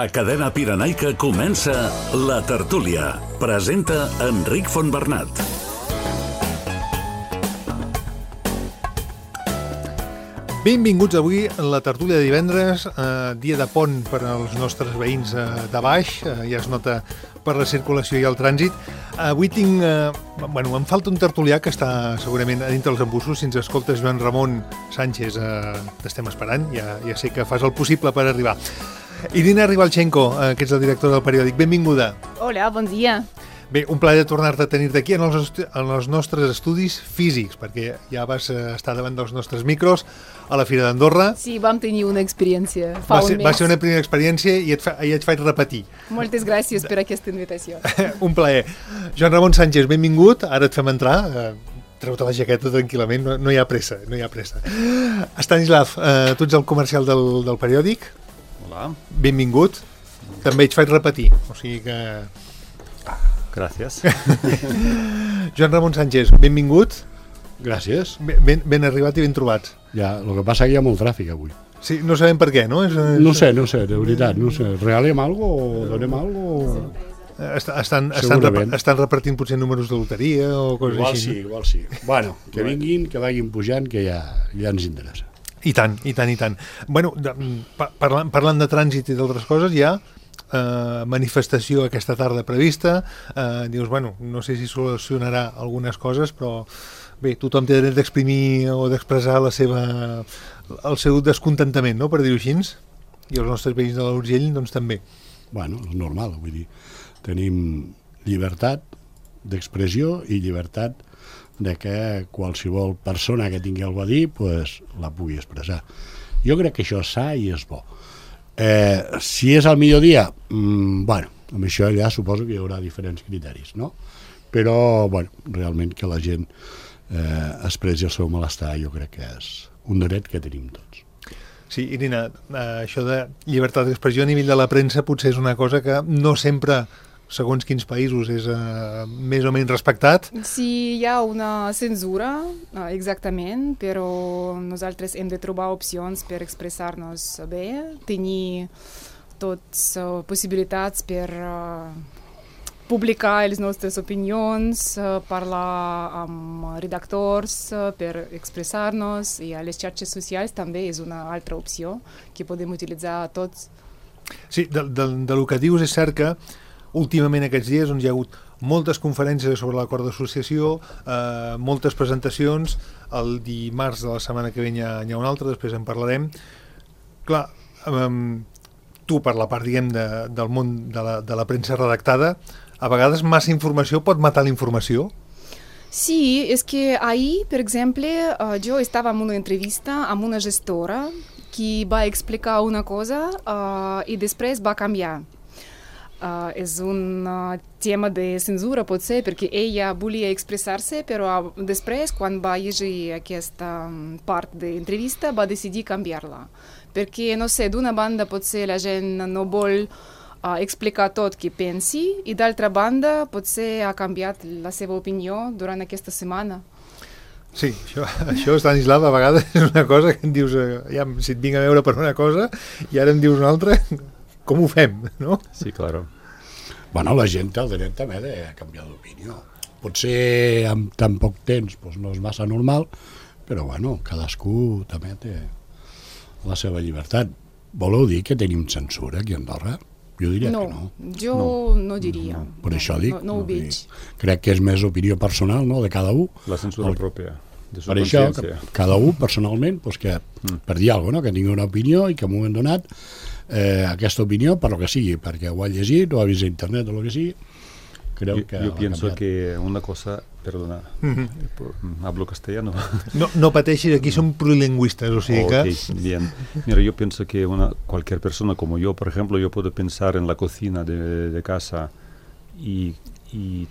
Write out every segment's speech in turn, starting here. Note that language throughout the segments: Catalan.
A Cadena Pirenaica comença La Tertúlia. Presenta Enric Fontbernat. Benvinguts avui a la tertúlia de divendres, dia de pont per als nostres veïns de baix, ja es nota per la circulació i el trànsit. Avui tinc... em falta un tertulià que està segurament a dintre dels embussos. Si ens escoltes, Joan Ramon Sánchez, t'estem esperant, ja sé que fas el possible per arribar. Irina Ribalchenko, que ets el director del periòdic, benvinguda. Hola, bon dia. Bé, un plaer tornar-te a tenir-te aquí en els nostres estudis físics, perquè ja vas estar davant dels nostres micros a la Fira d'Andorra. Sí, vam tenir una experiència fa un mes. Va ser una primera experiència i et faig repetir. Moltes gràcies per aquesta invitació. Un plaer. Joan Ramon Sánchez, benvingut. Ara et fem entrar. Treu-te la jaqueta tranquil·lament, no hi ha pressa, no hi ha pressa. Stanislav, tu ets el comercial del periòdic. Hola. Benvingut. També et faig repetir, o sigui que... Gràcies. Joan Ramon Sánchez, benvingut. Gràcies. Ben arribat i ben trobats. Ja, el que passa que hi ha molt tràfic avui. Sí, no sabem per què, no? No sé, de veritat, no sé. Regalem algo o donem algo? Estan repartint potser números de loteria o coses així. Igual sí. Bueno, que vinguin, que vagin pujant, que ja ens interessa. I tant. Bueno, parlant de trànsit i d'altres coses, hi ha manifestació aquesta tarda prevista. Dius, bueno, no sé si solucionarà algunes coses, però bé, tothom té dret d'exprimir o d'expressar el seu descontentament, no?, per dir-ho així, i els nostres veïns de l'Urgell doncs també. Bueno, és normal, vull dir, tenim llibertat d'expressió i llibertat de que qualsevol persona que tingui alguna a dir pues, la pugui expressar. Jo crec que això és sa i és bo. Si és al millor dia, bueno, amb això ja suposo que hi haurà diferents criteris, no? Però, bueno, realment que la gent expressi el seu malestar jo crec que és un dret que tenim tots. Sí, Irina, això de llibertat d'expressió a nivell de la premsa potser és una cosa que no sempre, segons quins països, és més o menys respectat. Sí, hi ha una censura, exactament, però nosaltres hem de trobar opcions per expressar-nos bé, tenir totes possibilitats per publicar les nostres opinions, parlar amb redactors per expressar-nos, i a les xarxes socials també és una altra opció que podem utilitzar tots. Sí, del que dius és cert que últimament aquests dies hi ha hagut moltes conferències sobre l'acord d'associació, moltes presentacions. El dimarts de la setmana que ve hi ha una altra, després en parlarem. Clar, tu per la part, diguem, del món de la premsa redactada, a vegades massa informació pot matar la informació? Sí, és que ahir, per exemple, jo estava en una entrevista amb una gestora que va explicar una cosa i després va canviar. És un tema de censura, pot ser, perquè ella volia expressar-se, però després, quan va llegir aquesta part d'entrevista, va decidir canviar-la. Perquè, no sé, d'una banda potser la gent no vol explicar tot que pensi, i d'altra banda potser ha canviat la seva opinió durant aquesta setmana. Sí, això Stanislav, a vegades és una cosa que em dius, si et vinc a veure per una cosa i ara em dius una altra, com ho fem, no? Sí, claro. Bueno, la gent té el dret també de canviar d'opinió. Potser amb tan poc temps doncs no és massa normal, però bueno, cadascú també té la seva llibertat. Voleu dir que tenim censura aquí a Andorra? Jo diria que no. Jo no diria. Per això dic. No ho veig. Crec que és més opinió personal, no?, de cada un. La censura pròpia. Per això, cada un personalment, doncs que per dir alguna cosa, no?, que tingui una opinió i que m'ho han donat aquesta opinió per lo que sigui, perquè ho ha llegit o ha vist a internet o el que sigui. Yo pienso que una cosa, perdona, hablo castellano. No pateixis, aquí som plurilingüistes, o sigui que... Bien. Mira, yo pienso que cualquier persona como yo, por ejemplo, yo puedo pensar en la cocina de casa y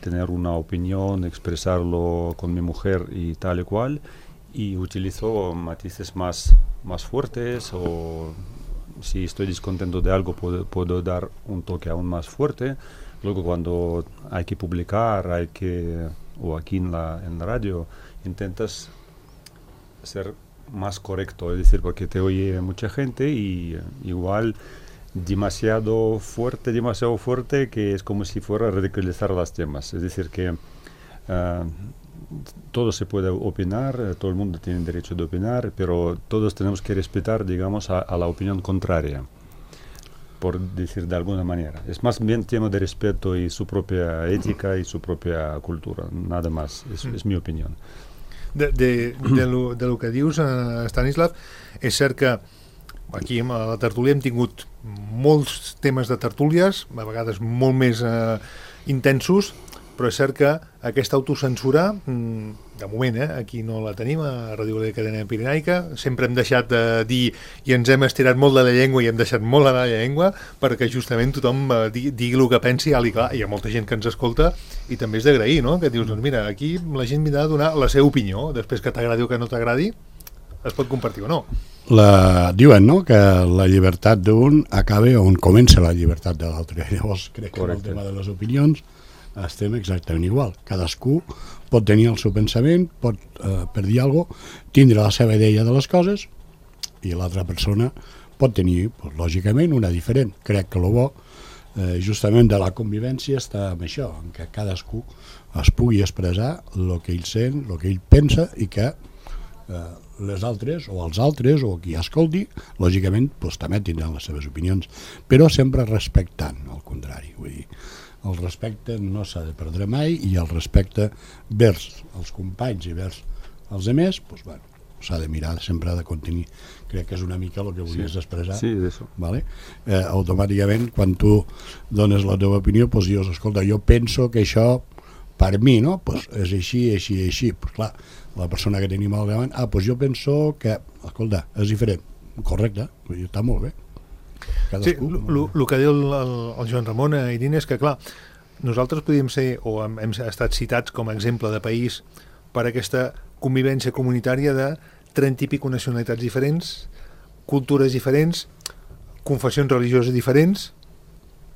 tener una opinión, expresarlo con mi mujer y tal y cual, y utilizo matices más fuertes, o si estoy descontento de algo puedo dar un toque aún más fuerte. Luego cuando hay que publicar, o aquí en la radio, intentas ser más correcto, es decir, porque te oye mucha gente y igual demasiado fuerte, que es como si fuera a ridiculizar los temas. Es decir, que todo se puede opinar, todo el mundo tiene derecho de opinar, pero todos tenemos que respetar, digamos, a la opinión contraria, por decir de alguna manera. Es más bien tema de respeto y su propia ética y su propia cultura, nada más, és mi opinió. De lo que dius, Stanislav, és cert que aquí a la tertúlia hem tingut molts temes de tertúlies, a vegades molt més intensos, però és cert que aquesta autocensura, de moment, aquí no la tenim, a Ràdio Gallega Cadena Pirenaica, sempre hem deixat de dir i ens hem estirat molt de la llengua i hem deixat molt de la llengua perquè justament tothom digui el que pensi alt i clar. Hi ha molta gent que ens escolta i també és d'agrair, no? Que dius, doncs mira, aquí la gent vindrà a donar la seva opinió, després que t'agradi o que no t'agradi, es pot compartir o no. Diuen, no?, que la llibertat d'un acaba on comença la llibertat de l'altre. Llavors crec que en el tema de les opinions estem exactament igual. Cadascú pot tenir el seu pensament, pot, per dir alguna cosa, tindre la seva idea de les coses i l'altra persona pot tenir, pues, lògicament, una diferent. Crec que el bo justament de la convivència està en això, en què cadascú es pugui expressar el que ell sent, el que ell pensa i que les altres o els altres o qui escolti, lògicament, pues, també tindran les seves opinions, però sempre respectant, al contrari. Vull dir, el respecte no s'ha de perdre mai i el respecte vers els companys i vers els altres, pues, bueno, s'ha de mirar, sempre ha de contenir. Crec que és una mica el que volies expressar. Sí, eso. ¿Vale? Automàticament, quan tu dones la teva opinió, pues dius, escolta, jo penso que això, per mi, no? Pues és així, així, així. Pues clar, la persona que tenim al davant, pues jo penso que, escolta, és diferent. Correcte, està molt bé. Cadascú. Sí, el que diu el Joan Ramon, Irene, és que, clar, nosaltres podríem ser, o hem estat citats com a exemple de país per aquesta convivència comunitària de 30 i pico nacionalitats diferents, cultures diferents, confessions religioses diferents,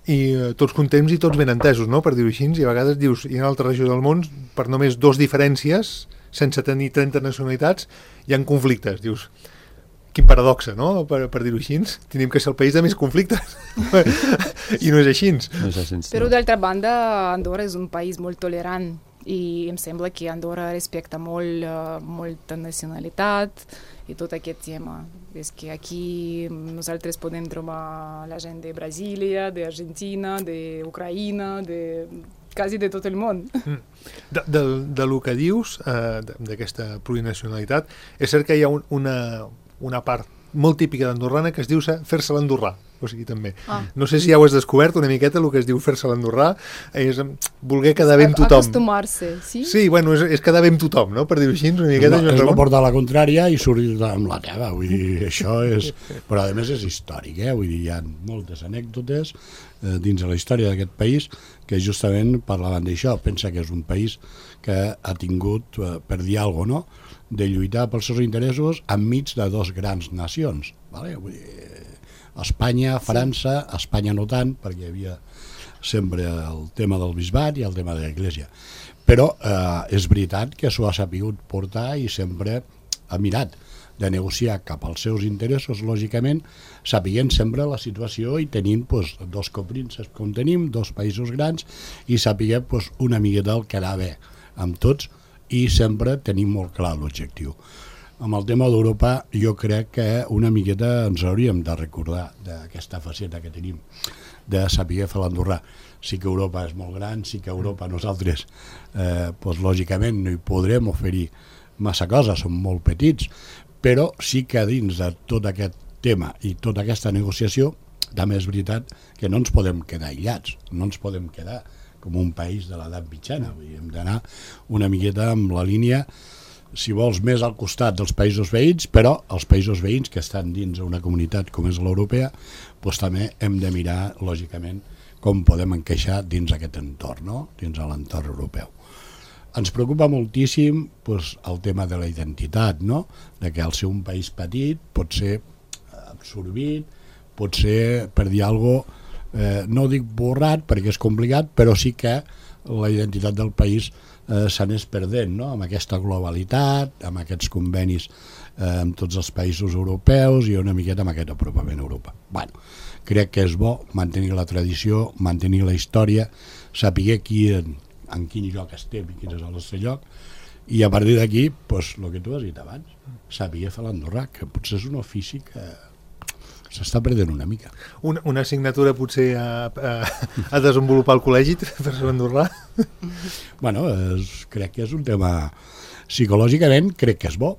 i tots contents i tots ben entesos, no?, per dir-ho així, i a vegades dius, i en altra regió del món, per només 2 diferències, sense tenir 30 nacionalitats, hi ha conflictes, dius... Quin paradoxa, no?, per dir-ho així. Tenim que ser el país de més conflictes. I no és així. No és així. Però d'altra banda, Andorra és un país molt tolerant i em sembla que Andorra respecta molta nacionalitat i tot aquest tema. És que aquí nosaltres podem trobar la gent de Brasília, d'Argentina, d'Ucraïna, quasi de tot el món. De lo que dius, d'aquesta plurinacionalitat, és cert que hi ha una part molt típica d'andorrana que es diu fer-se l'andorrà, o sigui, també. No sé si ja ho has descobert una miqueta, el que es diu fer-se l'andorrà, és voler quedar bé amb tothom. Acostumar-se, sí? Sí, bueno, és quedar bé amb tothom, no?, per dir-ho així, una miqueta. És no portar la contrària i sortir amb la teva, vull dir, això és... Però a més és històric, vull dir, hi ha moltes anècdotes dins de la història d'aquest país que justament parlaven d'això. Pensa que és un país que ha tingut, per dir alguna cosa, no?, de lluitar pels seus interessos enmig de 2 grans nacions, ¿vale? Vull dir, Espanya, França, Espanya no tant, perquè hi havia sempre el tema del bisbat i el tema de l'Església. Però és veritat que s'ho ha sapigut portar i sempre ha mirat de negociar cap als seus interessos, lògicament, sapiguent sempre la situació i tenint pues, 2 coprínceps com tenim, 2 països grans, i sapiguem pues, una miqueta el que anar bé amb tots, i sempre tenim molt clar l'objectiu. Amb el tema d'Europa jo crec que una miqueta ens hauríem de recordar d'aquesta faceta que tenim de saber fer l'andorrà. Sí que Europa és molt gran, sí que Europa nosaltres pues, lògicament no hi podrem oferir massa coses, som molt petits, però sí que dins de tot aquest tema i tota aquesta negociació també és veritat que no ens podem quedar aïllats, no ens podem quedar com un país de l'edat mitjana. Hem d'anar una miqueta amb la línia, si vols, més al costat dels països veïns, però els països veïns que estan dins una comunitat com és l'europea, doncs també hem de mirar, lògicament, com podem encaixar dins aquest entorn, no?, dins l'entorn europeu. Ens preocupa moltíssim doncs, el tema de la identitat, no?, de que al ser un país petit pot ser absorbit, pot ser, per dir alguna cosa, no dic borrat perquè és complicat, però sí que la identitat del país s'anés perdent, no? Amb aquesta globalitat, amb aquests convenis amb tots els països europeus i una miqueta amb aquest apropament a Europa. Bueno, crec que és bo mantenir la tradició, mantenir la història, saber en quin lloc estem i quin és el nostre lloc, i a partir d'aquí, doncs, el que tu has dit abans, saber fer l'andorrà, que potser és un ofici que s'està perdent una mica. Una assignatura potser a desenvolupar al col·legi per ser andorrà? Bueno, crec que és un tema, psicològicament crec que és bo,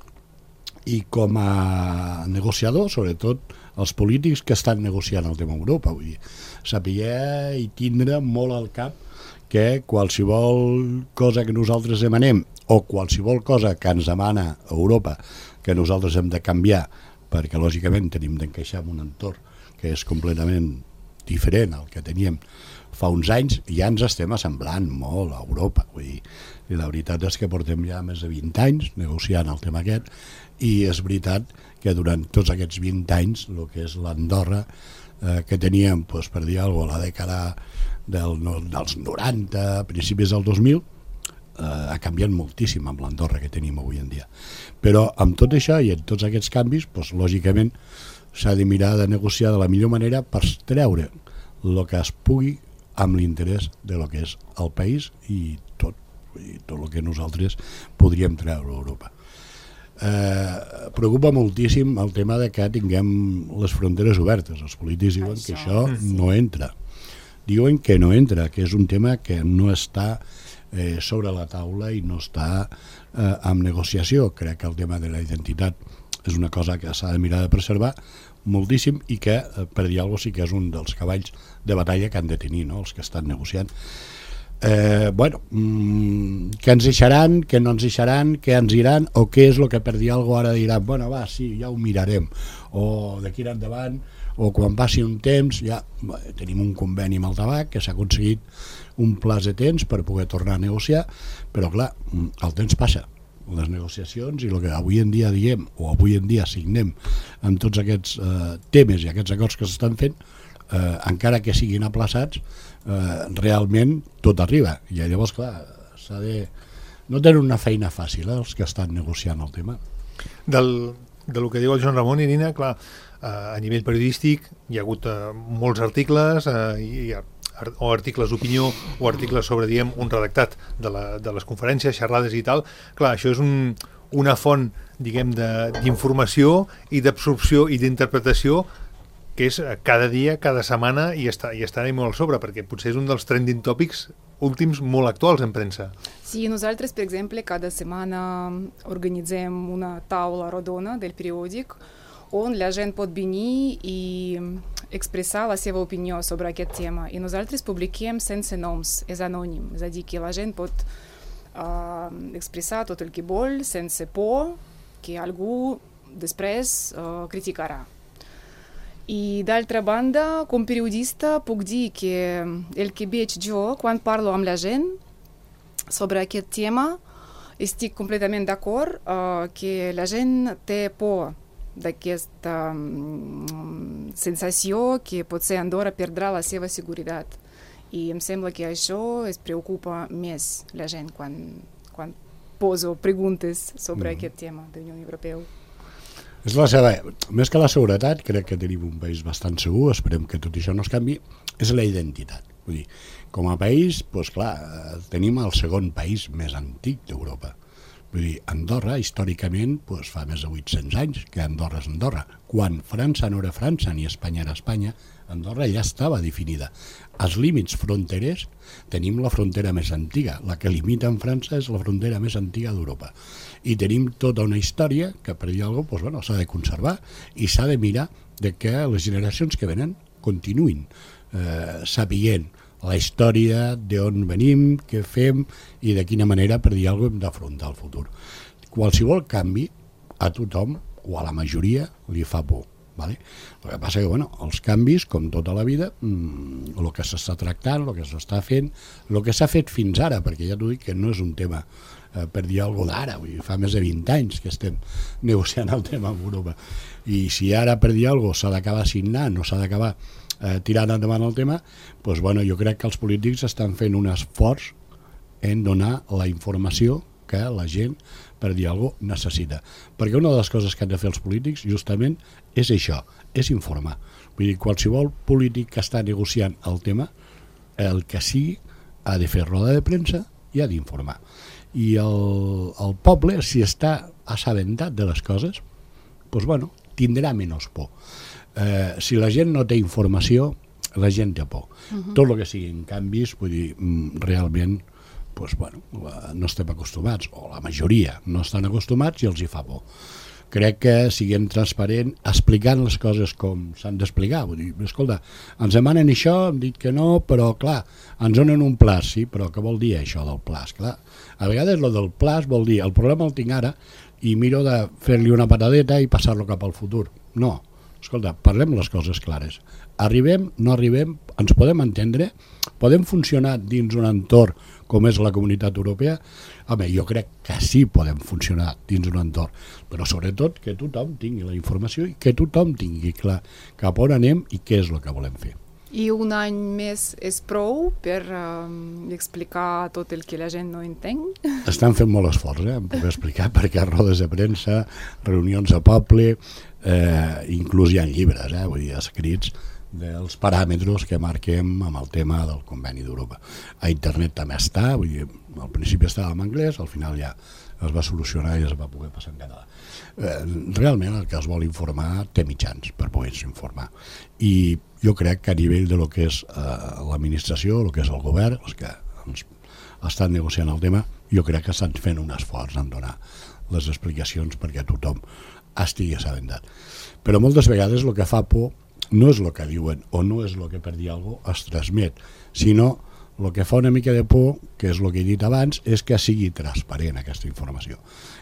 i com a negociador, sobretot els polítics que estan negociant el tema Europa, vull dir, saber i tindre molt al cap que qualsevol cosa que nosaltres demanem o qualsevol cosa que ens demana Europa que nosaltres hem de canviar, perquè lògicament tenim d'encaixar en un entorn que és completament diferent al que teníem fa uns anys, ja ens estem assemblant molt a Europa, vull dir, i la veritat és que portem ja més de 20 anys negociant el tema aquest, i és veritat que durant tots aquests 20 anys el que és l'Andorra que teníem, doncs, per dir alguna cosa, a la dècada dels 90, principis del 2000, ha canviat moltíssim amb l'Andorra que tenim avui en dia. Però amb tot això i amb tots aquests canvis, doncs, lògicament s'ha de mirar de negociar de la millor manera per treure el que es pugui amb l'interès de lo que és el país i tot el que nosaltres podríem treure a Europa. Preocupa moltíssim el tema de que tinguem les fronteres obertes. Els polítics diuen que això no entra. Diuen que no entra, que és un tema que no està sobre la taula i no està en negociació. Crec que el tema de la identitat és una cosa que s'ha de mirar de preservar moltíssim i que, per dir alguna cosa, sí que és un dels cavalls de batalla que han de tenir, no?, els que estan negociant. Bueno, què ens deixaran, què no ens deixaran, què ens iran, o què és el que, per dir alguna cosa, ara diran, bueno, va, sí, ja ho mirarem, o d'aquí endavant, o quan passi un temps, ja tenim un conveni amb el tabac, que s'ha aconseguit un plaç de temps per poder tornar a negociar, però clar, el temps passa, les negociacions i el que avui en dia diem, o avui en dia signem amb tots aquests temes i aquests acords que s'estan fent, encara que siguin aplaçats, realment tot arriba, i llavors clar, s'ha de... no tenen una feina fàcil els que estan negociant el tema. Del que diu el Joan Ramon, Irina, clar, a nivell periodístic hi ha hagut molts articles o articles d'opinió o articles sobre, diguem, un redactat de les conferències, xerrades i tal. Clar, això és una font, diguem, d'informació i d'absorció i d'interpretació que és cada dia, cada setmana, i estarà molt al sobre, perquè potser és un dels trending topics últims molt actuals en premsa. Sí, nosaltres, per exemple, cada setmana organitzem una taula rodona del periòdic on la gent pot venir i expressar la seva opinió sobre aquest tema. I nosaltres publiquem sense noms, és anònim, és a dir, que la gent pot expressar tot el que vol sense por que algú després criticarà. I d'altra banda, com periodista, puc dir que el que veig jo quan parlo amb la gent sobre aquest tema, estic completament d'acord que la gent té por d'aquesta sensació que potser Andorra perdrà la seva seguretat. I em sembla que això es preocupa més la gent quan poso preguntes sobre aquest tema de la Unió Europea. És la seva, més que la seguretat, crec que tenim un país bastant segur, esperem que tot això no es canvi, és la identitat. Vull dir, com a país, doncs clar, tenim el segon país més antic d'Europa. Vull dir, Andorra, històricament, doncs fa més de 800 anys que Andorra és Andorra. Quan França no era França ni Espanya era Espanya, Andorra ja estava definida. Als límits fronterers tenim la frontera més antiga. La que limita amb França és la frontera més antiga d'Europa. I tenim tota una història que, per dir alguna cosa, doncs, s'ha de conservar i s'ha de mirar de que les generacions que venen continuïn sabent la història, d'on venim, què fem i de quina manera, per dir alguna cosa, hem d'afrontar el futur. Qualsevol canvi a tothom o a la majoria li fa por. Vale? El que passa que els canvis, com tota la vida, el que s'està tractant, el que s'està fent, el que s'ha fet fins ara, perquè ja t'ho dic que no és un tema per dir alguna cosa d'ara, fa més de 20 anys que estem negociant el tema amb Europa, i si ara per dir alguna cosa s'ha d'acabar signant o s'ha d'acabar tirant endavant el tema, doncs jo crec que els polítics estan fent un esforç en donar la informació que la gent, per dir alguna cosa, necessita. Perquè una de les coses que han de fer els polítics justament és això, és informar. Vull dir, qualsevol polític que està negociant el tema, el que sigui, ha de fer roda de premsa i ha d'informar. I el poble, si està assabentat de les coses, doncs, bueno, tindrà menys por. Si la gent no té informació, la gent té por. Tot el que siguin canvis, vull dir, realment, doncs, bueno, no estem acostumats, o la majoria no estan acostumats i els hi fa por. Crec que siguem transparents explicant les coses com s'han d'explicar. Vull dir, escolta, ens demanen això, hem dit que no, però clar, ens donen un plaç, sí, però què vol dir això del plaç? Clar, a vegades el del plaç vol dir, el problema el tinc ara i miro de fer-li una patadeta i passar-lo cap al futur. No, escolta, parlem les coses clares. Arribem, no arribem, ens podem entendre, podem funcionar dins un entorn com és la Comunitat Europea. Home, jo crec que sí podem funcionar dins un entorn, però sobretot que tothom tingui la informació i que tothom tingui clar cap on anem i què és el que volem fer. I un any més és prou per explicar tot el que la gent no entén? Estan fent molt esforç, em puc explicar, perquè rodes de premsa, reunions a poble, inclús hi ha llibres, vull dir, escrits dels paràmetres que marquem amb el tema del Conveni d'Europa. A internet també està, vull dir, al principi estava en anglès, al final ja es va solucionar i es va poder passar en català. Realment el que es vol informar té mitjans per poder-se informar. I jo crec que a nivell de lo que és l'administració, el que és el govern, els que estan negociant el tema, jo crec que estan fent un esforç en donar les explicacions perquè tothom estigui assabentat. Però moltes vegades el que fa por no és el que diuen o no és el que per dir alguna cosa es transmet, sinó el que fa una mica de por, que és el que he dit abans, és que sigui transparent aquesta informació,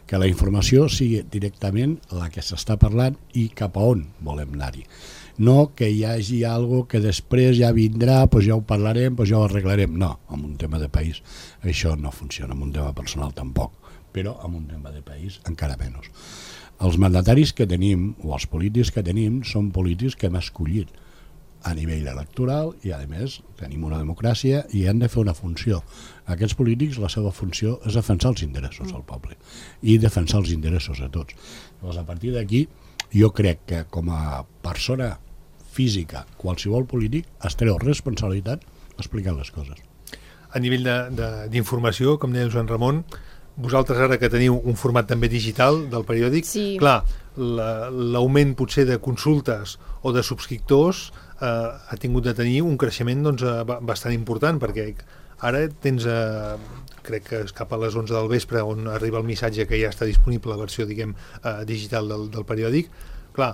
que la informació sigui directament la que s'està parlant i cap a on volem anar-hi. No que hi hagi alguna que després ja vindrà, doncs ja ho parlarem, doncs ja ho arreglarem. No, en un tema de país això no funciona, en un tema personal tampoc, però en un tema de país encara menys. Els mandataris que tenim, o els polítics que tenim, són polítics que hem escollit a nivell electoral i, a més, tenim una democràcia i han de fer una funció. Aquests polítics, la seva funció és defensar els interessos del poble i defensar els interessos de tots. Llavors, a partir d'aquí, jo crec que com a persona física, qualsevol polític es treu responsabilitat explicant les coses. A nivell d'informació, com deia Joan Ramon, vosaltres ara que teniu un format també digital del periòdic, sí. Clar, l'augment potser de consultes o de subscriptors ha tingut de tenir un creixement doncs, bastant important, perquè ara tens, crec que és cap a les 11 del vespre on arriba el missatge que ja està disponible la versió, diguem, digital del periòdic. Clar,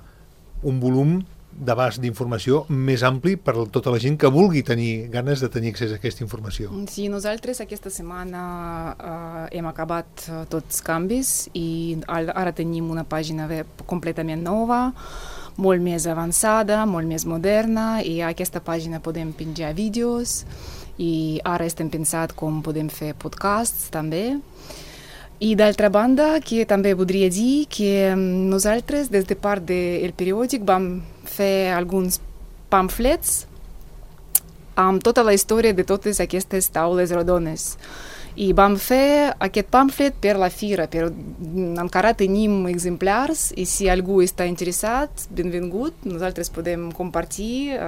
un volum d'abast d'informació més ampli per a tota la gent que vulgui tenir ganes de tenir accés a aquesta informació. Sí, nosaltres aquesta setmana hem acabat tots els canvis i ara tenim una pàgina web completament nova, molt més avançada, molt més moderna, i a aquesta pàgina podem penjar vídeos i ara estem pensant com podem fer podcasts també. I d'altra banda, que també voldria dir que nosaltres, des de part del periòdic, vam fer alguns pamflets amb tota la història de totes aquestes taules rodones. I vam fer aquest pamflet per la fira, però encara tenim exemplars i si algú està interessat, benvingut, nosaltres podem compartir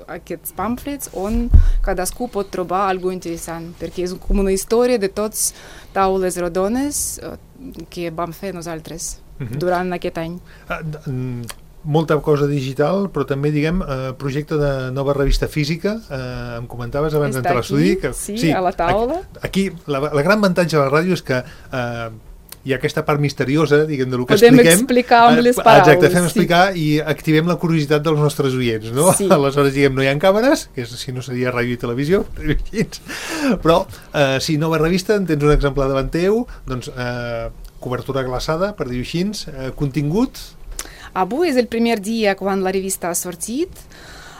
aquests pamflets on cadascú pot trobar alguna cosa interessant, perquè és com una història de tots taules rodones que vam fer nosaltres durant aquest any. Molta cosa digital, però també, diguem, projecte de nova revista física, em comentaves abans d'entrar a l'estudi. Sí, a la taula. Aquí, la gran avantatge de la ràdio és que hi ha aquesta part misteriosa, diguem, del que expliquem. Podem explicar amb les paraules. Exacte, fem explicar i activem la curiositat dels nostres oients, no? Sí. Aleshores, diguem, no hi ha càmeres, que si no seria ràdio i televisió, però sí, nova revista, en tens un exemplar davant teu, doncs cobertura glaçada, per dir-ho així, contingut. Avui és el primer dia quan la revista ha sortit.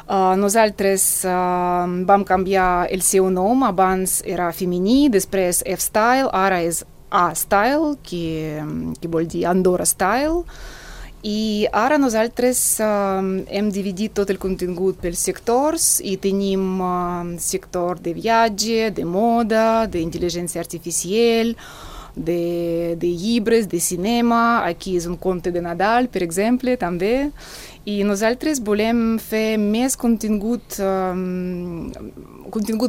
Nosaltres vam canviar el seu nom, abans era femení, després F-Style, ara és A-Style, que vol dir Andorra Style, I ara nosaltres hem dividit tot el contingut per sectors i tenim sector de viatge, de moda, d'intel·ligència artificial, de llibres, de cinema. Aquí és un conte de Nadal, per exemple, també. I nosaltres volem fer més contingut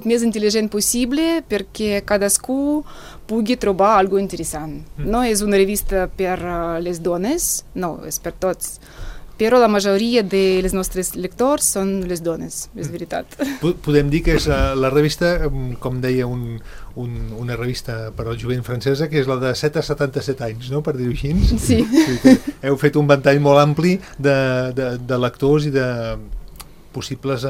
més intel·ligent possible perquè cadascú pugui trobar alguna cosa interessant. No és una revista per les dones, no, és per tots. Però la majoria dels nostres lectors són les dones, és veritat. Podem dir que és la revista, com deia una revista per al jovent francesa, que és la de 7 a 77 anys, no?, per dir-ho així. Sí. Heu fet un ventall molt ampli de lectors i de possibles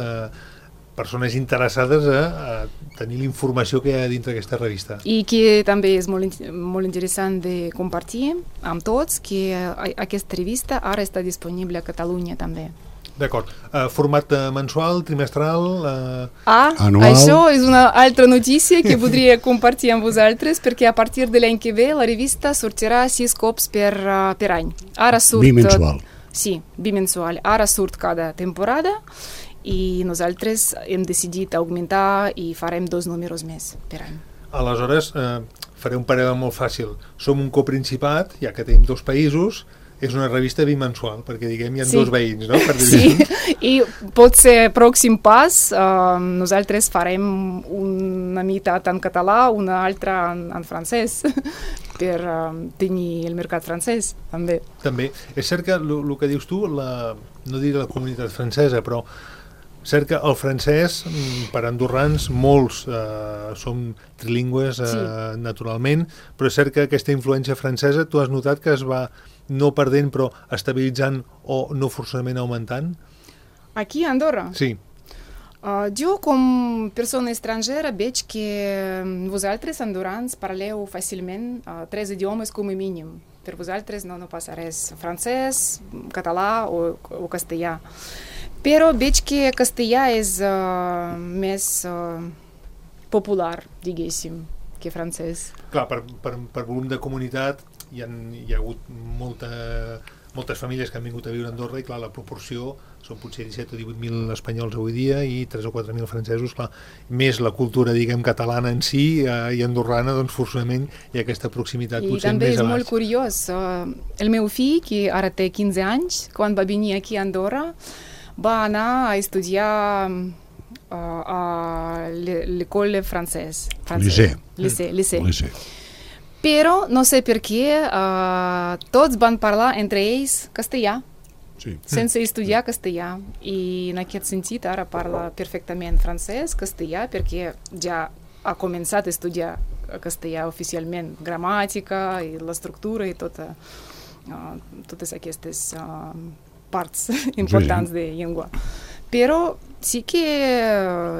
persones interessades a tenir la informació que hi ha dintre aquesta revista. I que també és molt interessant de compartir amb tots que aquesta revista ara està disponible a Catalunya també. D'acord. Format mensual, trimestral? Anual. Això és una altra notícia que voldria compartir amb vosaltres, perquè a partir de l'any que ve la revista sortirà 6 cops per any. Ara surt... Bimensual. Sí, bimensual. Ara surt cada temporada i nosaltres hem decidit augmentar i farem 2 números més per any. Aleshores, faré un parell molt fàcil. Som un coprincipat, ja que tenim 2 països, és una revista bimensual, perquè diguem hi ha 2 veïns, no? Per sí, i pot ser pròxim pas, nosaltres farem una meitat en català, una altra en francès, per tenir el mercat francès, també. També. És cert que el que dius tu, no diré la comunitat francesa, però cert que el francès, per andorrans, molts som trilingües naturalment, però és cert que aquesta influència francesa, tu has notat que es va no perdent, però estabilitzant o no forçament augmentant? Aquí a Andorra? Sí. Jo, com persona estrangera, veig que vosaltres, andorrans, parleu fàcilment 3 idiomes com a mínim. Per vosaltres no passa res. Francès, català o castellà. Però veig que castellà és més popular, diguéssim, que francès. Clar, per volum de comunitat hi ha hagut moltes famílies que han vingut a viure a Andorra i clar, la proporció són potser 17 o 18.000 espanyols avui dia i 3 o 4.000 francesos, clar, més la cultura, diguem, catalana en si i andorrana, doncs forçament hi ha aquesta proximitat potser més a baix. I també és molt curiós. El meu fill, que ara té 15 anys, quan va venir aquí a Andorra, va anar a estudiar a l'école francès. Lycée. Però no sé per què tots van parlar entre ells castellà, sense estudiar castellà. I en aquest sentit ara parla perfectament francès, castellà, perquè ja ha començat a estudiar castellà oficialment, gramàtica i l'estructura i totes aquestes parts importants de llengua. Però sí que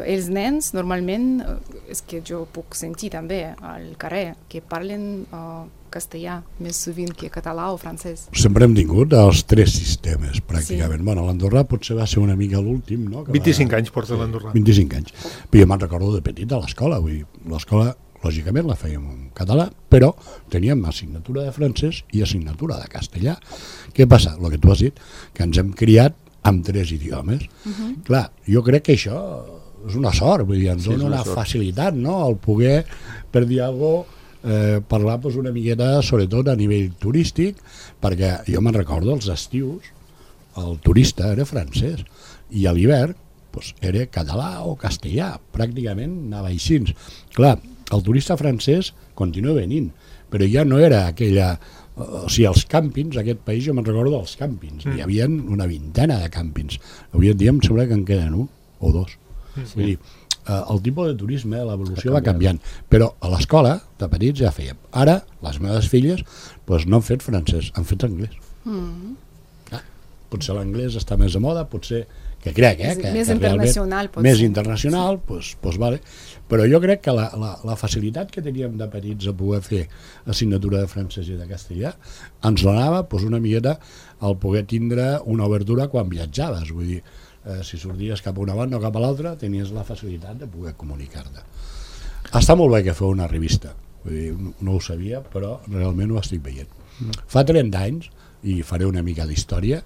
els nens normalment, és que jo puc sentir també al carrer, que parlen castellà més sovint que català o francès. Sempre hem tingut els 3 sistemes, pràcticament. Sí. Bueno, l'andorrà potser va ser una mica l'últim, no? 25 anys porta l'andorrà. 25 anys. Però jo me'n recordo de petit a l'escola. L'escola, lògicament, la fèiem en català, però teníem assignatura de francès i assignatura de castellà. Què passa? El que tu has dit, que ens hem criat amb 3 idiomes. Clar, jo crec que això és una sort, vull dir, ens dona una facilitat, no?, el poder, per dir alguna cosa, parlar una miqueta, sobretot a nivell turístic, perquè jo me'n recordo els estius, el turista era francès, i a l'hivern era català o castellà, pràcticament anava així. Clar, el turista francès continua venint, però ja no era aquella... O sigui, els càmpings, aquest país, jo me'n recordo dels càmpings, hi havia una vintena de càmpings. Avui en dia em sembla que en queden 1 o 2. Vull dir, el tipus de turisme, l'evolució va canviant, però a l'escola, de petits, ja fèiem. Ara, les meves filles no han fet francès, han fet anglès. Potser l'anglès està més de moda, potser, que crec, que més internacional, més internacional, vale. Però jo crec que la facilitat que teníem de petits a poder fer assignatura de francès i de castellà ens donava una miqueta al poder tindre una obertura quan viatjaves, vull dir, si sorties cap a una banda o cap a l'altra tenies la facilitat de poder comunicar-te. Està molt bé que feu una revista, Vull dir, no ho sabia, però realment ho estic veient. Fa 30 anys, i faré una mica d'història,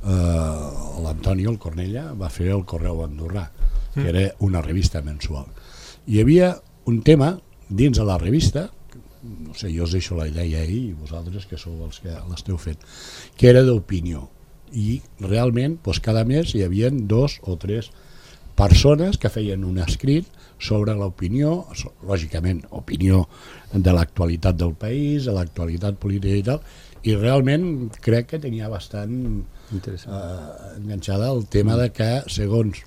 l'Antonio, el Cornella, va fer el Correu Andorrà, que era una revista mensual. Hi havia un tema dins de la revista, no sé, jo us deixo la idea ahir, i vosaltres que sou els que l'esteu fent, que era d'opinió. I realment, doncs, cada mes hi havia 2 o 3 persones que feien un escrit sobre l'opinió, lògicament, opinió de l'actualitat del país, de l'actualitat política i tal, i realment crec que tenia bastant enganxada el tema de que, segons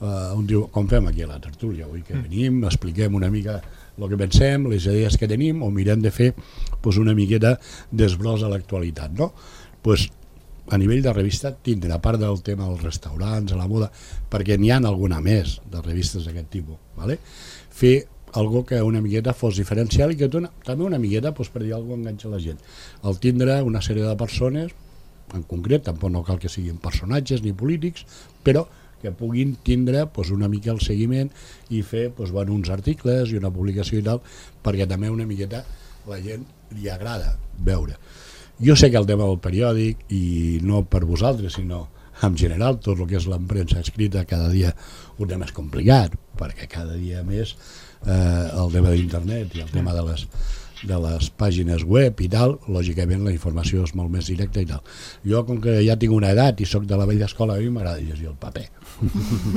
on diu, com fem aquí a la tertúlia, avui que venim, expliquem una mica el que pensem, les idees que tenim, o mirem de fer una miqueta d'esbròs a l'actualitat, no? A nivell de revista tindre, a part del tema dels restaurants, a la moda, perquè n'hi ha alguna més de revistes d'aquest tipus, fer algo que una miqueta fos diferencial i que també una miqueta, per dir alguna cosa, enganxa la gent. El tindre una sèrie de persones, en concret, tampoc no cal que siguin personatges ni polítics, però que puguin tindre una mica el seguiment i fer uns articles i una publicació i tal, perquè també una miqueta la gent li agrada veure. Jo sé que el tema del periòdic, i no per vosaltres, sinó en general, tot el que és l'empremsa escrita cada dia ho té més complicat, perquè cada dia més el tema d'internet i el tema de les pàgines web i tal, lògicament la informació és molt més directa i tal. Jo, com que ja tinc una edat i sóc de la vella escola, a mi m'agrada llegir el paper.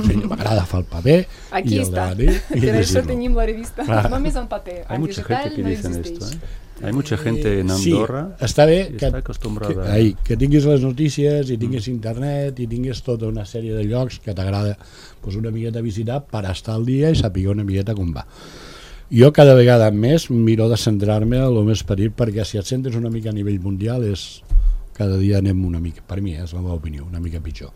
Sí, m'agrada fer el paper. Aquí està, per això tenim la revista, només en paper. Hay mucha gente que dicen esto, Hay mucha gente en Andorra està bé que està acostumbrada que tinguis les notícies i tinguis internet i tinguis tota una sèrie de llocs que t'agrada una miqueta visitar per estar al dia i saber una miqueta com va. Jo cada vegada més miro de centrar-me a lo més petit, perquè si et centres una mica a nivell mundial cada dia anem una mica, per mi és la meva opinió, una mica pitjor.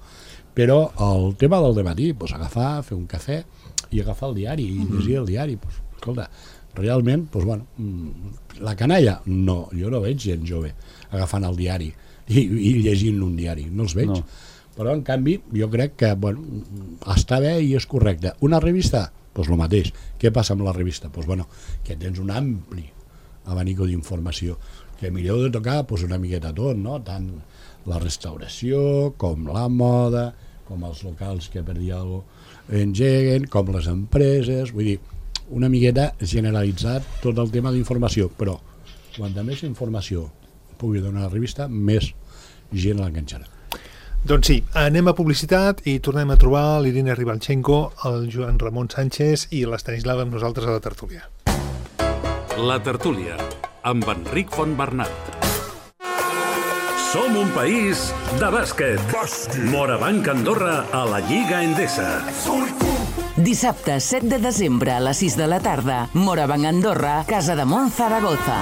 Però el tema del dematí, agafar, fer un cafè i agafar el diari i llegir el diari, escolta, realment, la canalla, no, jo no veig gent jove agafant el diari i llegint un diari, no els veig. No. Però, en canvi, jo crec que està bé i és correcte. Una revista? Doncs el mateix. Què passa amb la revista? Que tens un ampli abanico d'informació, que mireu de tocar una miqueta tot, no? Tant la restauració, com la moda, com els locals que per dir alguna cosa engeguen, com les empreses, vull dir, una miqueta generalitzat tot el tema d'informació, però quanta més informació pugui donar la revista, més gent l'enganxarà. Doncs sí, anem a publicitat i tornem a trobar l'Irina Ribalchenko, el Joan Ramon Sánchez i l'Estanislava amb nosaltres a la tertúlia. La tertúlia, amb Enric Fontbernat. Som un país de bàsquet. Morabanc Andorra a la Lliga Endesa. Dissabte 7 de desembre a les 6 de la tarda, Morabanc Andorra, Casa de Mont Zaragoza.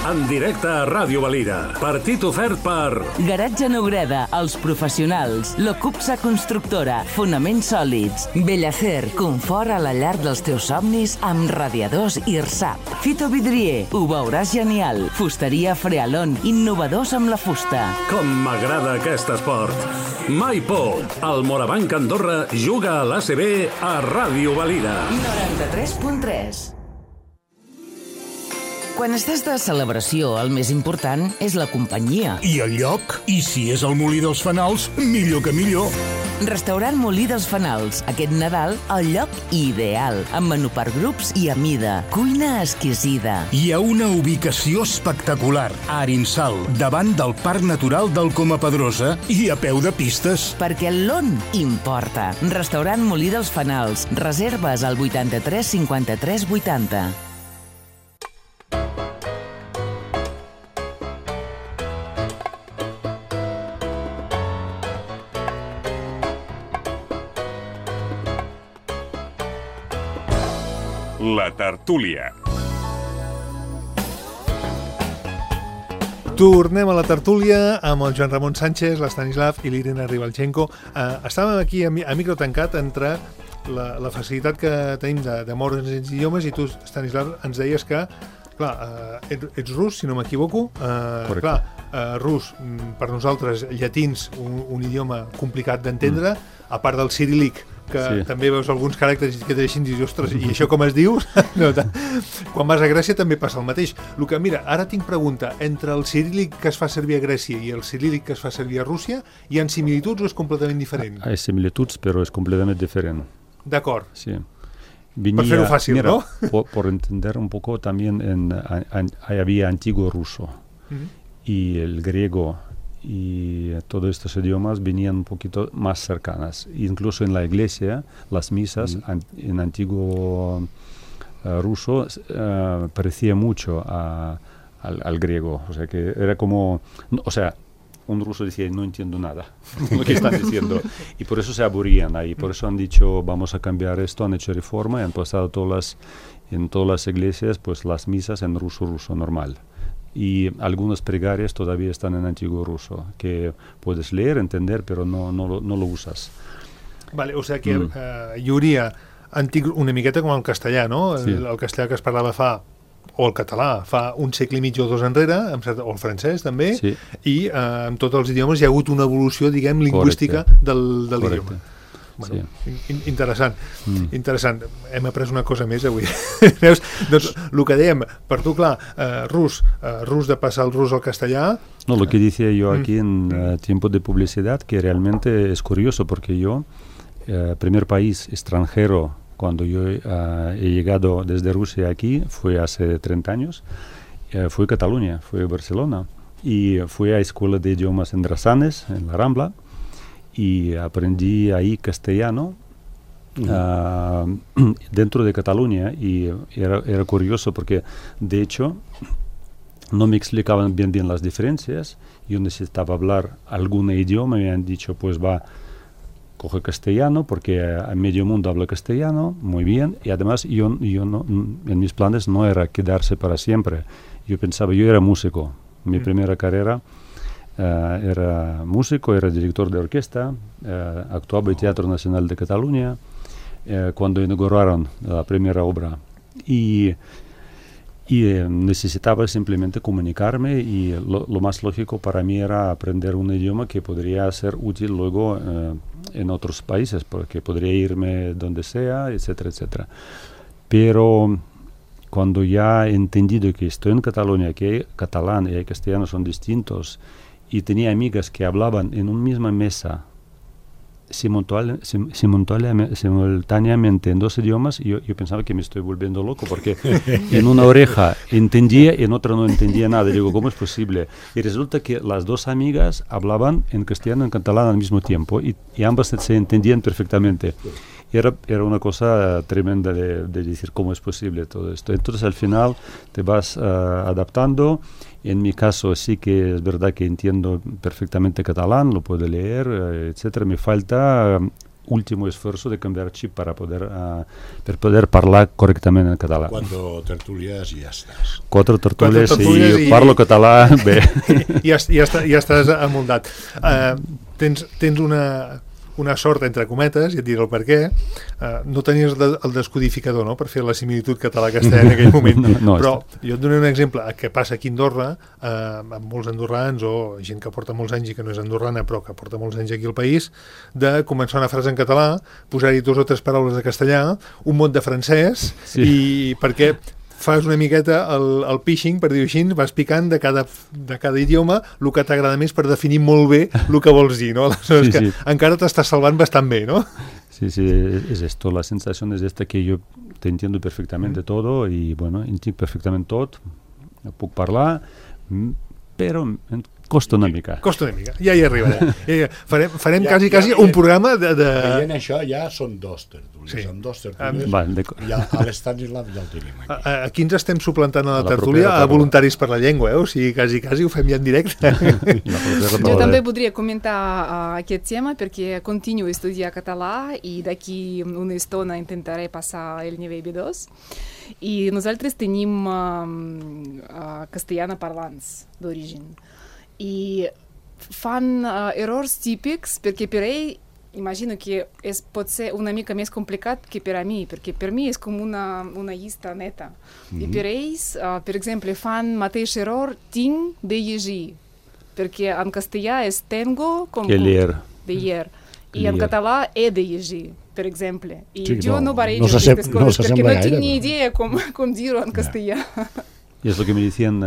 En directe a Ràdio Valira. Partit ofert per Garatge Neureda, Els Professionals, Locupsa Constructora, Fonaments Sòlids, Bellacer, confort a la llar dels teus somnis amb radiadors IRSAP. Fito Vidrier, ho veuràs genial. Fusteria Frealon, innovadors amb la fusta. Com m'agrada aquest esport. Mai por. El Morabanc Andorra juga a l'ACB a Ràdio Valira. 93.3. Quan estàs de celebració, el més important és la companyia. I el lloc? I si és el Molí dels Fanals, millor que millor. Restaurant Molí dels Fanals. Aquest Nadal, el lloc ideal. Amb menú per grups i a mida. Cuina exquisida. Hi ha una ubicació espectacular. A Arinsal, davant del Parc Natural del Coma Pedrosa i a peu de pistes. Perquè l'on importa. Restaurant Molí dels Fanals. Reserves al 83 53 80. La tertúlia. Tornem a la tertúlia amb el Joan Ramon Sánchez, l'Estanislav i l'Irina Ribalchenko. Estàvem aquí a micro tancat entre la facilitat que tenim de moure'ns els idiomes i tu, Estanislav, ens deies que ets rus, si no m'equivoco. Rus, per nosaltres, llatins, un idioma complicat d'entendre, a part del ciríl·lic, que també veus alguns caràcters que t'aixin i dius, ostres, i això com es diu? No, quan vas a Grècia també passa el mateix. Luca, mira, ara tinc pregunta. Entre el ciríl·lic que es fa servir a Grècia i el ciríl·lic que es fa servir a Rússia, hi ha similituds o és completament diferent? Hay similituds, pero es completamente diferente. D'acord. Sí. Per fer-ho fàcil, mira, ¿no? Por entender un poco, también había antiguo ruso y el griego y todos estos idiomas venían un poquito más cercanas. Incluso en la iglesia, las misas en antiguo ruso parecía mucho al griego. O sea, que era como... O sea, un ruso decía, no entiendo nada lo que están diciendo. Y por eso se aburrían ahí. Por eso han dicho, vamos a cambiar esto, han hecho reforma y han pasado en todas las iglesias pues las misas en ruso normal. Y algunas pregarias todavía están en antiguo ruso, que puedes leer, entender, pero no lo usas. Vale, o sigui que hi hauria una miqueta com el castellà, no? Sí. El castellà que es parlava o el català fa un segle i mig o dos enrere, o el francès també, sí. I en tots els idiomes hi ha hagut una evolució, diguem, lingüística de l'idioma. Bueno, sí. Interessant. Interessant. Hem après una cosa més avui. Veus? Doncs el que dèiem, per tu, clar, rus de passar el rus al castellà... No, lo que decía yo aquí en tiempo de publicidad, que realmente es curioso, porque yo, primer país extranjero, cuando yo he llegado desde Rusia aquí, fue hace 30 años, fue Cataluña, fue Barcelona, y fui a escuela de idiomas en Drassanes, en la Rambla, y aprendí ahí castellano dentro de Cataluña, y era curioso porque, de hecho, no me explicaban bien las diferencias. Yo necesitaba hablar algún idioma y me han dicho, pues coge castellano, porque a medio mundo habla castellano, muy bien, y además yo no, en mis planes no era quedarse para siempre. Yo pensaba, yo era músico, mi primera carrera era músico, era director de orquesta, actuaba en Teatro Nacional de Cataluña, cuando inauguraron la primera obra, y necesitaba simplemente comunicarme, y lo más lógico para mí era aprender un idioma que podría ser útil luego en otros países, porque podría irme donde sea, etcétera, etcétera. Pero cuando ya he entendido que estoy en Cataluña, que hay catalán y hay castellano son distintos, y tenía amigas que hablaban en una misma mesa simultáneamente en dos idiomas, yo pensaba que me estoy volviendo loco, porque en una oreja entendía y en otra no entendía nada. Digo, ¿cómo es posible? Y resulta que las dos amigas hablaban en castellano y en catalán al mismo tiempo, y ambas se entendían perfectamente. Era una cosa tremenda de decir cómo es posible todo esto. Entonces al final te vas adaptando. En mi caso sí que es verdad que entiendo perfectamente catalán, lo puedo leer, etcétera. Me falta último esfuerzo de cambiar chip para poder hablar correctamente en catalán. 4 tertúlies i ja estàs. 4 tertúlies i parlo català bé. Ja estàs amoldat. Tens una sort, entre cometes, i et diré el per què, no tenies el descodificador, no?, per fer la similitud català-castellà en aquell moment. Però jo et donaré un exemple que passa aquí a Andorra, amb molts andorrans o gent que porta molts anys i que no és andorrana però que porta molts anys aquí al país, de començar una frase en català, posar-hi 2 o 3 paraules de castellà, un mot de francès, i perquè fas una miqueta el pitching, per dir-ho així, vas picant de cada idioma el que t'agrada més per definir molt bé el que vols dir, no? Aleshores que encara t'estàs salvant bastant bé, no? Sí, es esto, la sensación es esta, que yo te entiendo perfectamente todo, y bueno, entiendo perfectament tot, puc parlar, però costa una mica. Costa una mica, ja hi arribarem. Farem quasi un programa de... Veient això ja són 2 tertúlies. Sí. Són 2 tertúlies. Ja a l'Estanislav ja el tenim aquí. Aquí ens estem suplantant a la tertúlia a Voluntaris per la Llengua, o sigui, quasi ho fem ja en directe. Jo també podria comentar aquest tema, perquè continuo a estudiar català i d'aquí una estona intentaré passar el nivell B2. I nosaltres tenim castellana parlants d'origen. I fan errors típics, perquè per ell imagino que pot ser una mica més complicat que per a mi, perquè per mi és com una llista neta. I per ells, per exemple, fan mateix error tinc de llegir, perquè en castellà és tengo com que leer. De leer. I en català he de llegir. per exemple. I Sí, jo no barrejo no aquestes no coses perquè s'assembla no tinc gaire, ni però- idea com dir-ho en castellà. Y es lo que me decían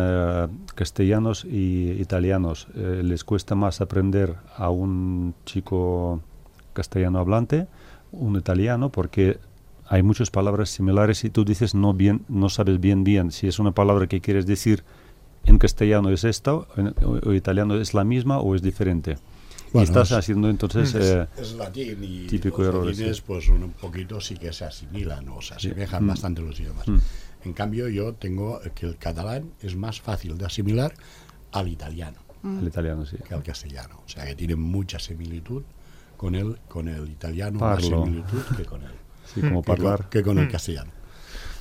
castellanos y italianos. Les cuesta más aprender a un chico castellano hablante, un italiano, porque hay muchas palabras similares y tú dices no sabes bien si es una palabra que quieres decir en castellano es esta o italiano es la misma o es diferente. Bueno, y estás haciendo entonces es latín y típico los error, latines sí. pues un poquito sí que se asimilan o se asemejan bastante los idiomas. En cambio yo tengo que el catalán es más fácil de asimilar al italiano el italiano, sí. que al castellano. O sea que tiene mucha similitud con el italiano, Parlo. más similitud que con el, Sí, como parlar. que con el castellano.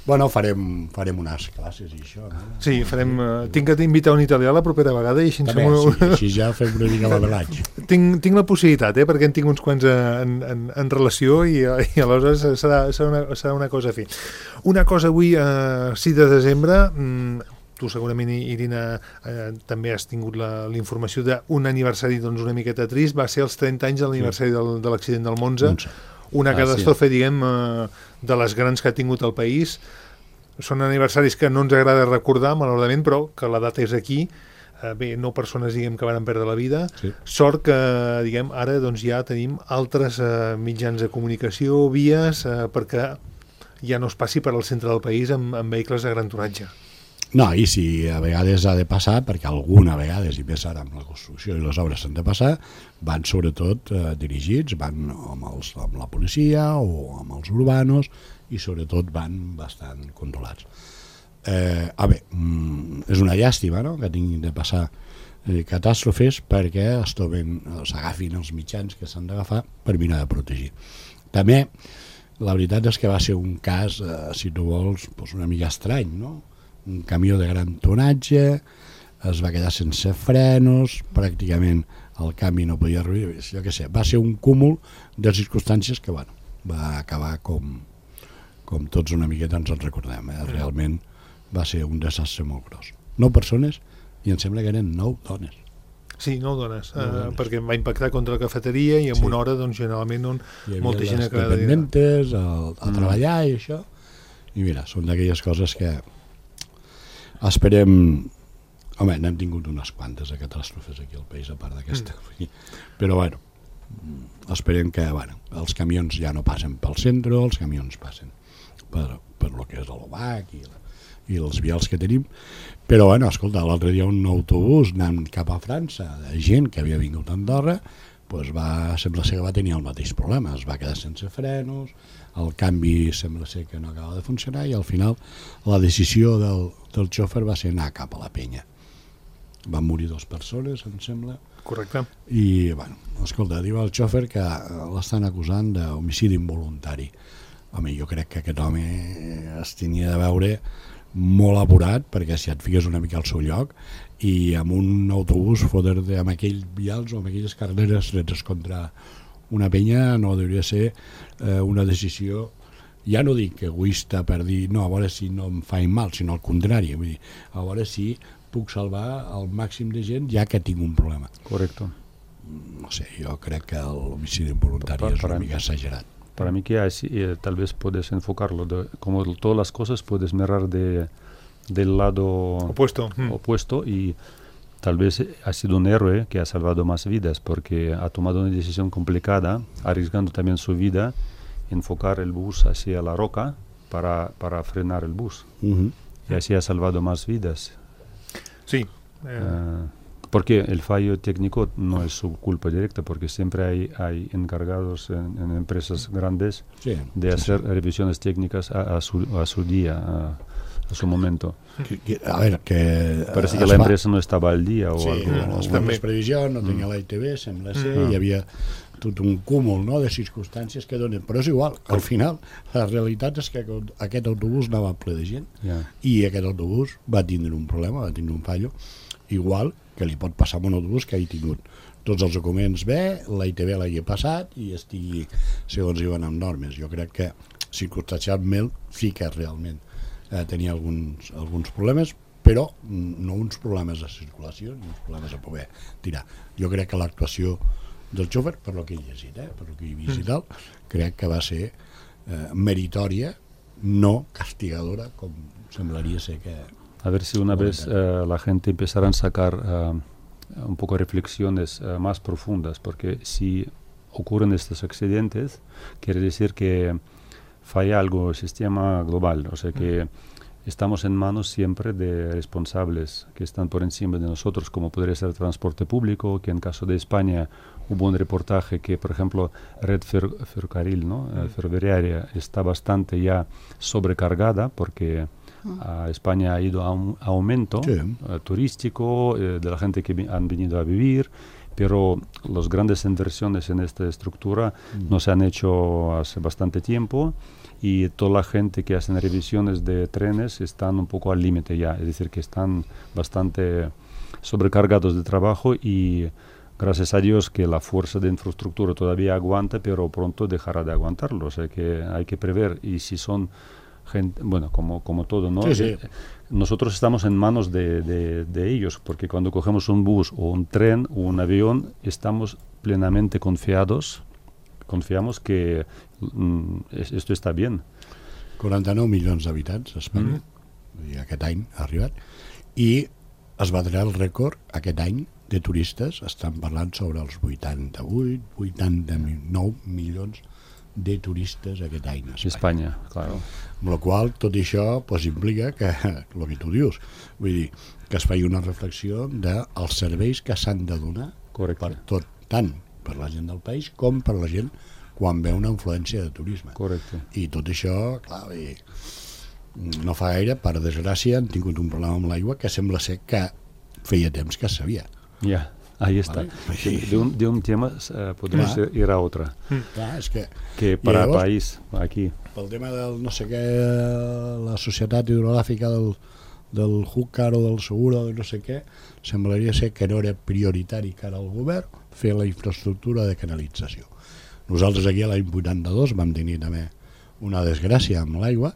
Bueno, farem unes classes i això, no? Sí, farem... tinc que invitar un italià la propera vegada i així, També, sí, així ja fem una mica l'avelatge. tinc la possibilitat, perquè en tinc uns quants en relació i aleshores serà una cosa a fer. Una cosa avui, 6 de desembre, tu segurament, Irina, també has tingut la informació d'un aniversari doncs, una miqueta trist, va ser els 30 anys de l'aniversari de l'accident del Monza, una catàstrofe, diguem, de les grans que ha tingut el país. Són aniversaris que no ens agrada recordar, malauradament, però que la data és aquí. Bé, 9 persones, diguem, que van perdre la vida. Sí. Sort que, diguem, ara doncs, ja tenim altres mitjans de comunicació, vies, perquè ja no es passi per al centre del país amb vehicles de gran tonatge. No, i si a vegades ha de passar, perquè alguna vegada, i més ara amb la construcció i les obres s'han de passar, van sobretot dirigits, van amb la policia o amb els urbanos, i sobretot van bastant controlats. És una llàstima, no?, que tinguin de passar catàstrofes perquè s'agafin els mitjans que s'han d'agafar per mirar de protegir. També, la veritat és que va ser un cas, si tu vols, una mica estrany, no?, un camió de gran tonatge, es va quedar sense frenos, pràcticament el canvi no podia arribar, jo què sé, va ser un cúmul de circumstàncies que, bueno, va acabar com tots una miqueta ens en recordem, realment va ser un desastre molt gros. 9 persones i em sembla que eren 9 dones. Sí, 9 dones, perquè em va impactar contra la cafeteria i en una hora, doncs, generalment, molta gent que dependentes a treballar i això, i mira, són d'aquelles coses que esperem. Home, n'hem tingut unes quantes de catàstrofes aquí al país, a part d'aquesta. Però, bueno, esperem que els camions ja no passen pel centre, els camions passen per lo que és l'OBAC i els vials que tenim. Però, bueno, escolta, l'altre dia un autobús anant cap a França, de gent que havia vingut a Andorra, sembla ser que va tenir el mateix problema, es va quedar sense frenos, el canvi sembla ser que no acaba de funcionar i al final la decisió del xòfer va ser anar cap a la penya. Van morir 2 persones, em sembla. Correcte. I, bueno, escolta, diu el xòfer que l'estan acusant d'homicidi involuntari. Home, jo crec que aquest home es tenia de veure molt apurat, perquè si et fiques una mica al seu lloc i amb un autobús fotre-te amb aquells vials o amb aquelles carreres dretes contra una penya no hauria ser una decisió, ja no dic egoista per dir no, a veure si no em faig mal, sinó al contrari, vull dir, a veure si puc salvar el màxim de gent ja que tinc un problema. Correcto. No sé, jo crec que l'homicidi involuntari és una mica exagerat. Para mí que así, tal vez puedes enfocarlo, como todas las cosas puedes mirar del lado opuesto y tal vez ha sido un héroe que ha salvado más vidas porque ha tomado una decisión complicada, arriesgando también su vida, enfocar el bus hacia la roca para frenar el bus. Y así ha salvado más vidas. Sí. Porque el fallo técnico no es su culpa directa, porque siempre hay encargados en empresas grandes de hacer revisiones técnicas a su día, a su momento. A ver, que parece que la empresa no estaba al día o algo. No, es fan les previsions, no tenia la ITV, sembla ser, hi havia tot un cúmul de circumstàncies que donen, però és igual, al final la realitat és que aquest autobús anava ple de gent i aquest autobús va tindre un problema, va tindre un fallo, igual que li pot passar a un autobús que hagi tingut tots els documents bé, la ITV l'hagi passat i estigui segons diuen amb normes. Jo crec que circumstancialment sí que realment tenia alguns problemes, però no uns problemes de circulació ni uns problemes a poder tirar. Jo crec que l'actuació del xòfer, per lo que he llegit, per lo que he vist i tal, crec que va ser meritòria, no castigadora, com semblaria ser que... A ver si una vez la gente empezará a sacar un poco reflexiones más profundas, porque si ocurren estos accidentes, quiere decir que falla algo el sistema global, o sea que estamos en manos siempre de responsables que están por encima de nosotros, como podría ser el transporte público, que en caso de España hubo un reportaje que, por ejemplo, red ferrocarril, ¿no? Ferroviaria está bastante ya sobrecargada porque España ha ido a un aumento turístico de la gente que han venido a vivir, pero las grandes inversiones en esta estructura no se han hecho hace bastante tiempo y toda la gente que hacen revisiones de trenes están un poco al límite ya, es decir, que están bastante sobrecargados de trabajo y gracias a Dios que la fuerza de infraestructura todavía aguanta, pero pronto dejará de aguantarlo, o sea que hay que prever y si son gente, bueno, como todo, ¿no? Sí. Nosotros estamos en manos de ellos, porque cuando cogemos un bus o un tren o un avión, estamos plenamente confiamos que esto està bien. 49 milions d'habitants a Espanya, i aquest any ha arribat, i es batrà el rècord aquest any de turistes, estan parlant sobre els 89 milions de turistes aquest any a Espanya, claro. Amb la qual tot això pues, implica que, el que tu dius, vull dir, que es faci una reflexió dels serveis que s'han de donar per tot, tant per la gent del país com per la gent quan ve una influència de turisme. Correcte. I tot això, clar, no fa gaire, per desgràcia, han tingut un problema amb l'aigua que sembla ser que feia temps que es sabia. Ja, ahí está. Vale. De un tema podemos ir a otra. Clar, és que para llavors, país, aquí. Pel tema del no sé què, la societat hidrogràfica del Júcar o del Segura o de no sé què, semblaria ser que no era prioritari cara al govern fer la infraestructura de canalització. Nosaltres aquí a l'any 82 vam tenir també una desgràcia amb l'aigua,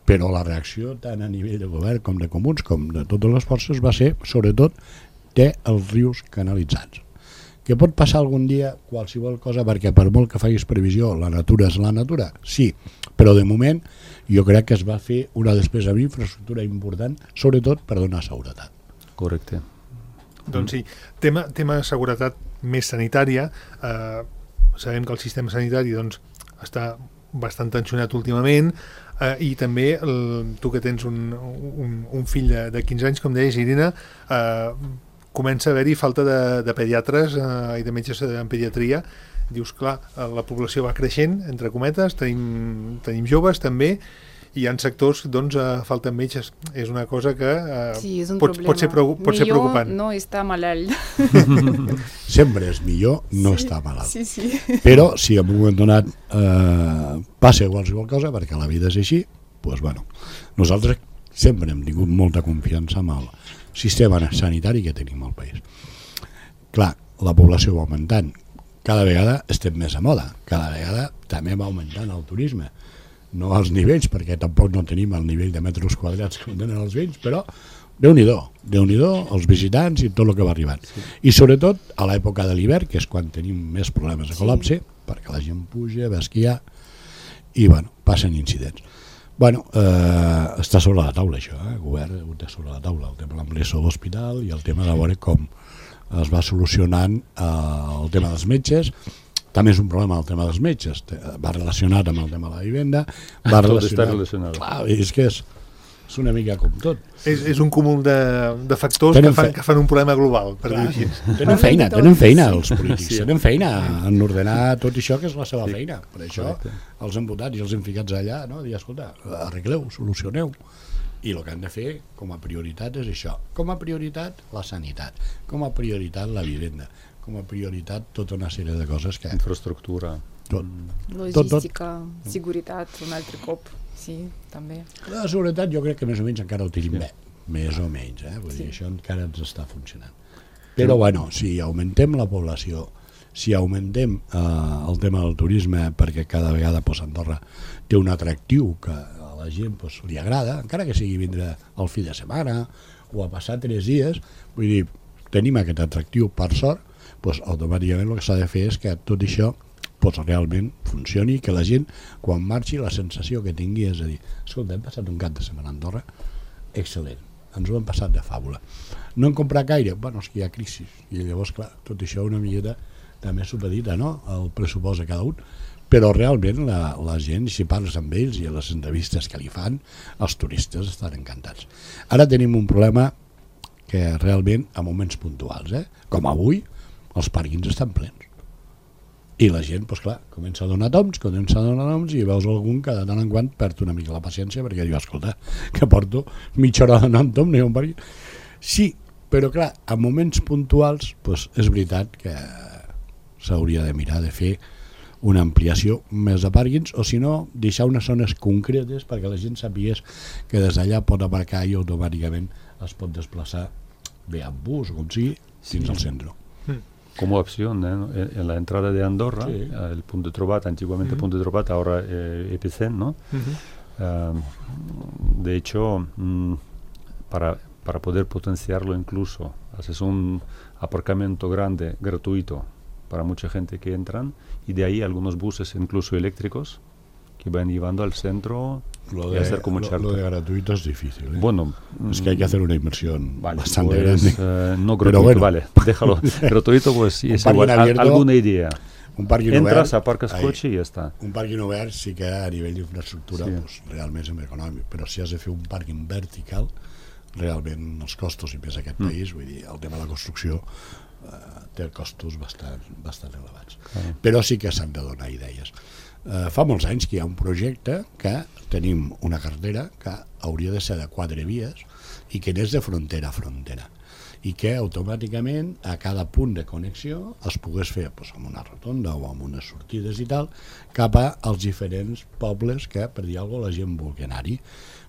però la reacció tant a nivell de govern com de comuns com de totes les forces va ser, sobretot, dels rius canalitzats. Que pot passar algun dia qualsevol cosa, perquè per molt que facis previsió, la natura és la natura, sí, però de moment jo crec que es va fer una despesa en infraestructura important, sobretot per donar seguretat. Correcte. Doncs sí, tema de seguretat més sanitària, sabem que el sistema sanitari doncs, està bastant tensionat últimament i també tu que tens un fill de 15 anys, com deies, Irina, comença a haver-hi falta de pediatres i de metges en pediatria. Dius, clar, la població va creixent, entre cometes, tenim joves també, i hi ha sectors doncs falten metges. És una cosa que pot ser preocupant. Millor no està malalt. Sempre és millor no estar malalt. Sí. Però si en un moment donat passa qualsevol cosa, perquè la vida és així, doncs bueno, nosaltres sempre hem tingut molta confiança en el sistema sanitari que tenim al país. Clar, la població va augmentant. Cada vegada estem més a moda. Cada vegada també va augmentant el turisme. No als nivells, perquè tampoc no tenim el nivell de metres quadrats que tenen els veïns, però Déu-n'hi-do, els visitants i tot el que va arribant. Sí. I sobretot a l'època de l'hivern, que és quan tenim més problemes de col·lapse, perquè la gent puja, va esquiar, i bueno, passen incidents. Bueno, està sobre la taula això, el govern ho té sobre la taula, el tema de l'ampliació de l'hospital i el tema de veure com es va solucionant el tema dels metges. També és un problema el tema dels metges, va relacionat amb el tema de la vivenda, va relacionat. Clar, és que és una mica com tot. És un cúmul de factors que fan un problema global, per dir així. Tenen feina els polítics, tenen feina en ordenar tot això que és la seva feina. Per això els han votat i els han ficats allà, no? Dir, escolta, arregleu, solucioneu. I el que han de fer com a prioritat és això. Com a prioritat la sanitat, com a prioritat la vivenda, com a prioritat tota una sèrie de coses que... Infraestructura. Logística, seguretat, un altre cop, sí, també. La seguretat jo crec que més o menys encara ho tenim bé, més o menys, vull dir, això encara ens està funcionant. Però bueno, si augmentem la població, si augmentem el tema del turisme, perquè cada vegada Andorra té un atractiu que a la gent li agrada, encara que sigui vindre al fi de setmana o a passar 3 dies, vull dir, tenim aquest atractiu per sort, doncs automàticament el que s'ha de fer és que tot això realment funcioni, que la gent quan marxi la sensació que tingui és a dir, escolta, hem passat un cap de setmana a Andorra excel·lent, ens ho hem passat de fàbula, no hem comprat gaire, bueno, és que hi ha crisi i llavors clar, tot això una miqueta també supedita, no?, el pressupost de cada un, però realment la gent, si parles amb ells i a les entrevistes que li fan, els turistes estan encantats. Ara tenim un problema que realment a moments puntuals, com avui els pàrquings estan plens i la gent, doncs clar, comença a donar toms i veus algun que de tant en quant perd una mica la paciència perquè diu, escolta, que porto mitja hora donant tom, no hi ha un pàrquing. Sí, però clar, a moments puntuals doncs és veritat que s'hauria de mirar de fer una ampliació més de pàrquings o si no, deixar unes zones concretes perquè la gent sapigués que des d'allà pot aparcar i automàticament es pot desplaçar bé amb bus o com sigui fins al centre. Como opción, en la entrada de Andorra, sí. El punto de Trobat, antiguamente punto de Trobat, ahora Epicent, ¿no? De hecho, para poder potenciarlo incluso, haces un aparcamiento grande, gratuito, para mucha gente que entran, y de ahí algunos buses incluso eléctricos que van llevando al centro y a hacer como un charter. Lo de gratuito es difícil, ¿eh? Bueno, es que hay que hacer una inversión bastante pues, grande. No gratuito, bueno. Vale, déjalo. Gratuito, pues sí, es igual. Alguna idea. Un parking Entras, obert, aparcas coche y ya está. Un parking obert sí que a nivell d'infraestructura pues, realment és més econòmic, però si has de fer un parking vertical, realment els costos, i més aquest país, vull dir, el tema de la construcció té costos bastant elevats. Però sí que s'han de donar idees. Fa molts anys que hi ha un projecte que tenim una carretera que hauria de ser de 4 vies i que n'és de frontera a frontera i que automàticament a cada punt de connexió es pogués fer doncs, amb una rotonda o amb unes sortides i tal cap als diferents pobles que per dir alguna cosa la gent vulgui anar-hi,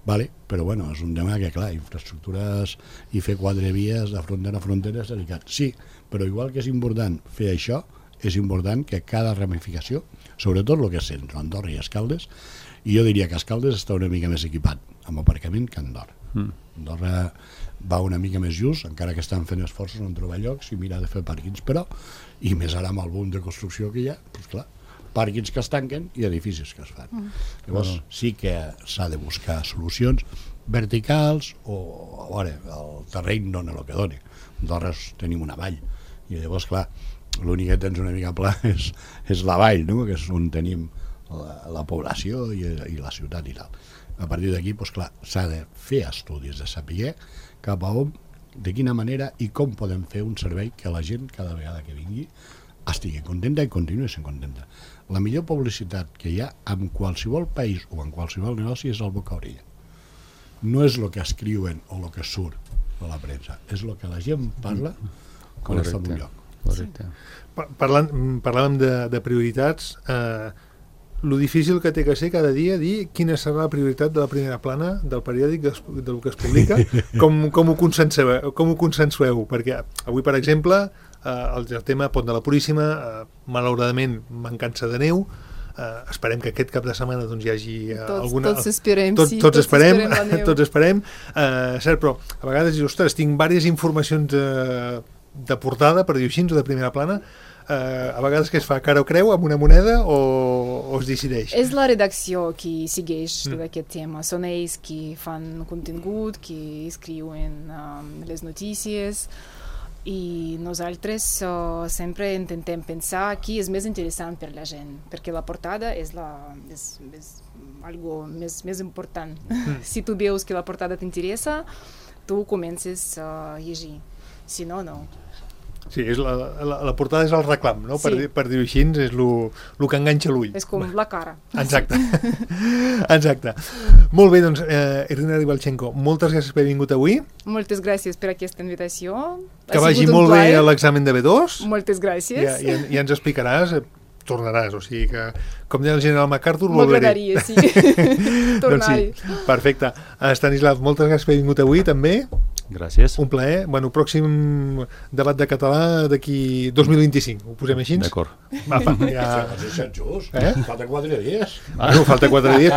vale? Però bueno, és un tema que clar, infraestructures i fer 4 vies de frontera a frontera és delicat, sí, però igual que és important fer això, és important que cada ramificació, sobretot el que és centre, Andorra i Escaldes, i jo diria que Escaldes està una mica més equipat amb aparcament que Andorra. Andorra va una mica més just, encara que estan fent esforços en trobar llocs i mirar de fer pàrquings, però, i més ara amb el boom de construcció que hi ha, doncs clar, pàrquings que es tanquen i edificis que es fan. Llavors sí que s'ha de buscar solucions verticals o a veure, el terreny dona el que dona. Andorra tenim una vall i llavors clar, l'únic que tens una mica pla és la vall, no? Que és on tenim la població i la ciutat i tal. A partir d'aquí, doncs clar, s'ha de fer estudis de saber cap a on, de quina manera i com podem fer un servei que la gent cada vegada que vingui estigui contenta i continuï sent contenta. La millor publicitat que hi ha en qualsevol país o en qualsevol negoci és el boca a orella. No és el que escriuen o el que surt a la premsa, és el que la gent parla quan està en un lloc. Correcte. Parlàvem de prioritats, lo difícil que té que ser cada dia dir quina serà la prioritat de la primera plana del periòdic del que es publica, com ho consensueu, perquè avui per exemple el tema Pont de la Puríssima, malauradament mancança de neu, esperem que aquest cap de setmana doncs, hi hagi alguna... Tots esperem, sí. Tots esperem. Cert, però a vegades dius, ostres, tinc diverses informacions de portada, per dir-ho així, o de primera plana, a vegades que es fa cara o creu amb una moneda o es decideix? És la redacció que segueix tot aquest tema. Són ells que fan contingut, que escriuen les notícies i nosaltres sempre intentem pensar qui és més interessant per la gent, perquè la portada és algo més important. Si tu veus que la portada t'interessa, tu comences a llegir. Si no, no. Sí, la portada és el reclam, no? Sí. Per dir-ho així, és el que enganxa l'ull. És com la cara. Exacte. Exacte. Molt bé, doncs, Irina Ribalchenko, moltes gràcies per haver vingut avui. Moltes gràcies per aquesta invitació. Que vagi molt bé l'examen de B2. Moltes gràcies. I ens explicaràs, tornaràs, o sigui que, com deia el general MacArthur, volveré. M'agradaria, sí. Tornar-hi. Doncs sí, perfecte. Stanislav, moltes gràcies per haver vingut avui, també. Gràcies. Un plaer. Bueno, pròxim debat de català d'aquí 2025. Ho posem així? D'acord. Ja... Falta 4 dies. Bueno, falta 4 dies.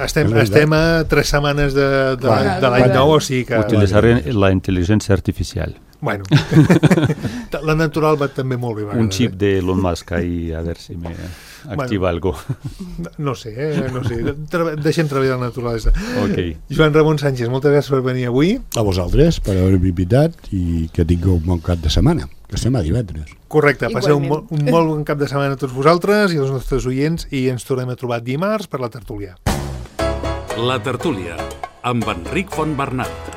Estem a 3 setmanes de l'any nou, o sigui que... Utilitzaré la intel·ligència artificial. Bueno, la natural va també molt bé. Un xip de Elon Musk ahí, a ver si me activa algo. No sé, no sé. Deixem treballar la naturalesa. Ok. Joan Ramon Sánchez, moltes gràcies per venir avui. A vosaltres, per haver-me invitat i que tingueu un bon cap de setmana, que estem a divendres. Correcte, passeu un Igualment. molt bon cap de setmana a tots vosaltres i als nostres oients i ens tornem a trobar dimarts per la tertúlia. La tertúlia, amb Enric Fontbernat.